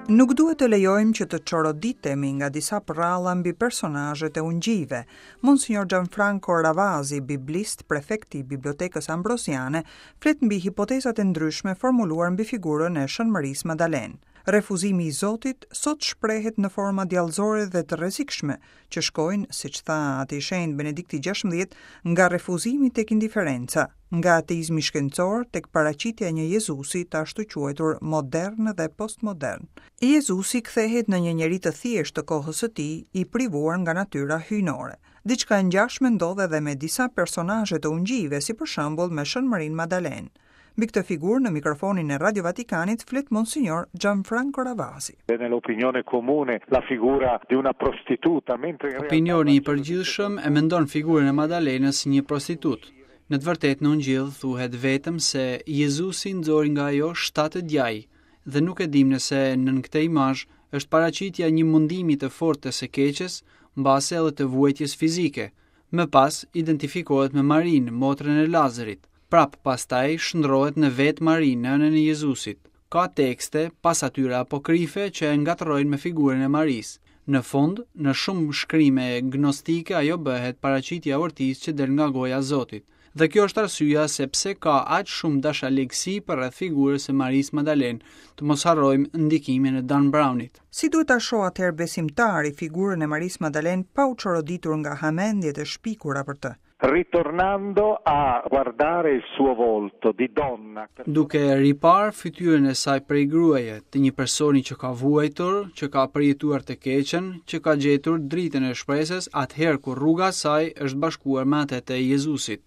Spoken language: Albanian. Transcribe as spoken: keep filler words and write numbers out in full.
Nuk duhet të lejojmë që të çoroditemi nga disa përralla mbi personazhet e ungjijve. Monsignor Gianfranco Ravasi, biblist, prefekti i Bibliotekës Ambrosiane, flet mbi hipotezat e ndryshme formuluar mbi figurën e Shën Marisë Madalenë. Refuzimi i Zotit sot shprehet në forma djallëzore dhe të rrezikshme, që shkojnë, siç tha Ati i Shenjtë Benedikti gjashtëmbëdhjetë, nga refuzimi tek indiferenca, nga ateizmi shkencor tek paraqitja e një Jezusi të ashtuquajtur modern dhe postmodern. Jezusi kthehet në një njeri të thjeshtë të kohës së tij, i privuar nga natyra hyjnore. Diçka e ngjashme ndodh edhe me disa personazhe të ungjijve, si për shembull me Shën Marinë Madalenë. Mbi këtë figurë në mikrofonin e Radio Vatikanit flet Monsignor Gianfranco Ravasi. Nell'opinione comune la figura di una prostituta, mentre in realtà Opinioni i përgjithshëm e mendon figurën e Madalenës si një prostitutë. Në të vërtetë në Ungjillë thuhet vetëm se Jezusi nxori nga ajo shtatë djaj dhe nuk e dim nëse nën këtë imazh është paraqitja e një mundimi të fortë të së keqes, mbase edhe të vuajtjes fizike. Më pas identifikohet me Marinë, motrën e Lazarit. Prap pastaj shndrohet në vetë Marinë, nënën e Jezusit. Ka tekste pas atyre apokrife që e ngatërrojnë me figurën e Marisë. Në fund, në shumë shkrime gnostike ajo bëhet paraqitja e ortisë që del nga goja e Zotit. Dhe kjo është arsyeja se pse ka aq shumë dashaligësi përreth figurës së Marisë Madalenë, të mos harrojmë ndikimin e Dan Brownit. Si duhet ta shohë atëherë besimtari figurën e Marisë Madalenë pa u çoroditur nga hamendjet e shpikura për të? Ritornando a guardare il suo volto di donna, Duke riparë fytyrën e saj prej gruaje, të një personi që ka vuajtur, që ka përjetuar të keqen, që ka gjetur dritën e shpresës atëherë kur rruga e saj është bashkuar me atë të Jezusit.